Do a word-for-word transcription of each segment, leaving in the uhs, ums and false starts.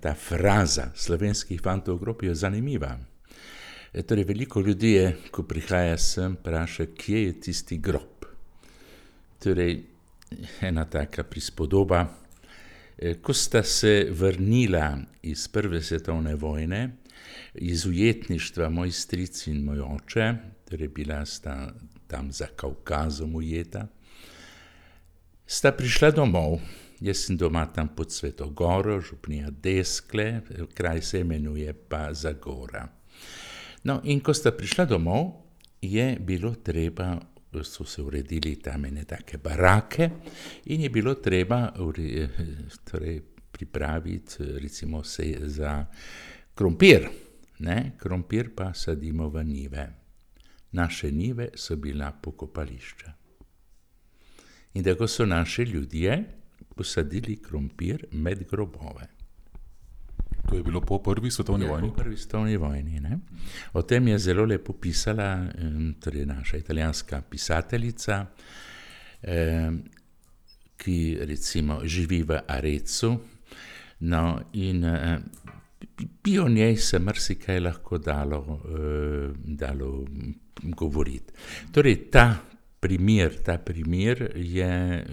Ta fraza slovenskih fantov v grobi je zanimiva. E, torej, veliko ljudi je, ko prihaja sem, vpraša, kje je tisti grob. Torej, ena taka prispodoba. E, ko sta se vrnila iz prve svetovne vojne, iz ujetništva moj stric in moj oče, torej bila sta tam za Kavkazom ujeta, sta prišla domov. Jaz sem doma tam pod Sveto Goro, župnija Deskle, kraj se imenuje pa Zagora. No, in ko sta prišla domov, je bilo treba, so se uredili tam ene take barake in je bilo treba torej, pripraviti recimo se za krompir. Ne? Krompir pa sadimo v njive. Naše njive so bila pokopališča. In tako so naši ljudje posadili krompir med grobove. To je bilo po prvi svetovni Ja, vojni? po prvi svetovni vojni, ne. O tem je zelo lepo pisala torej naša italijanska pisateljica, eh, ki recimo živi v Arezu, no, in eh, bi o njej se marsikaj lahko dalo, eh, dalo govoriti. Torej, ta primer, ta primer je eh,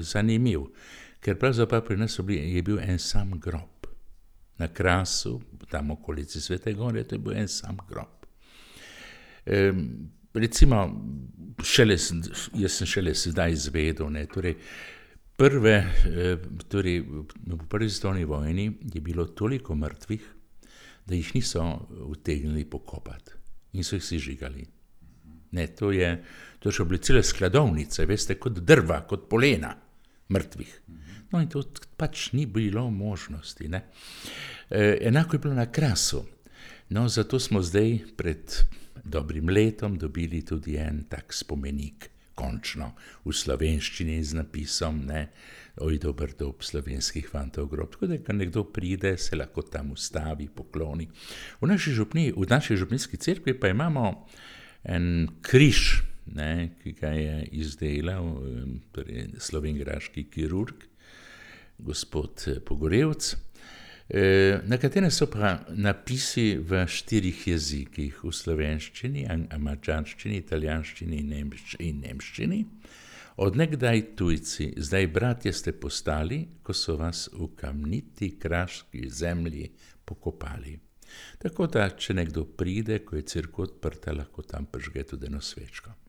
zanimiv, ker pravzaprav pri nas bili, je bil en sam grob. Na Krasu, tam okolici Svete Gore, to je bil en sam grob. E, recimo, šele, jaz sem šele sedaj izvedel, ne, torej, prve, torej, v prvi svetovni vojni je bilo toliko mrtvih, da jih niso utegnili pokopati in so jih sežigali. Ne, to je, to so bile cele skladovnice, veste, kot drva, kot polena mrtvih. No, in to pač ni bilo možnosti, ne. E, enako je bilo na Krasu. No, zato smo zdaj pred dobrim letom dobili tudi en tak spomenik, končno, v slovenščini z napisom, ne, oj, dober dob slovenskih fantov grob. Tako da, ko nekdo pride, se lahko tam ustavi, pokloni. V naši župniji, v naši župnijski cerkvi pa imamo en križ, ne, ki ga je izdelal torej, slovenjgraški kirurg, gospod Pogorevc, na katerem so pa napisi v štirih jezikih, v slovenščini, madžarščini, italijanščini in nemščini. Od nekdaj tujci, zdaj bratje ste postali, ko so vas v kamniti kraški zemlji pokopali. Tako da, če nekdo pride, ko je cerkev odprta, lahko tam prižge tudi eno svečko.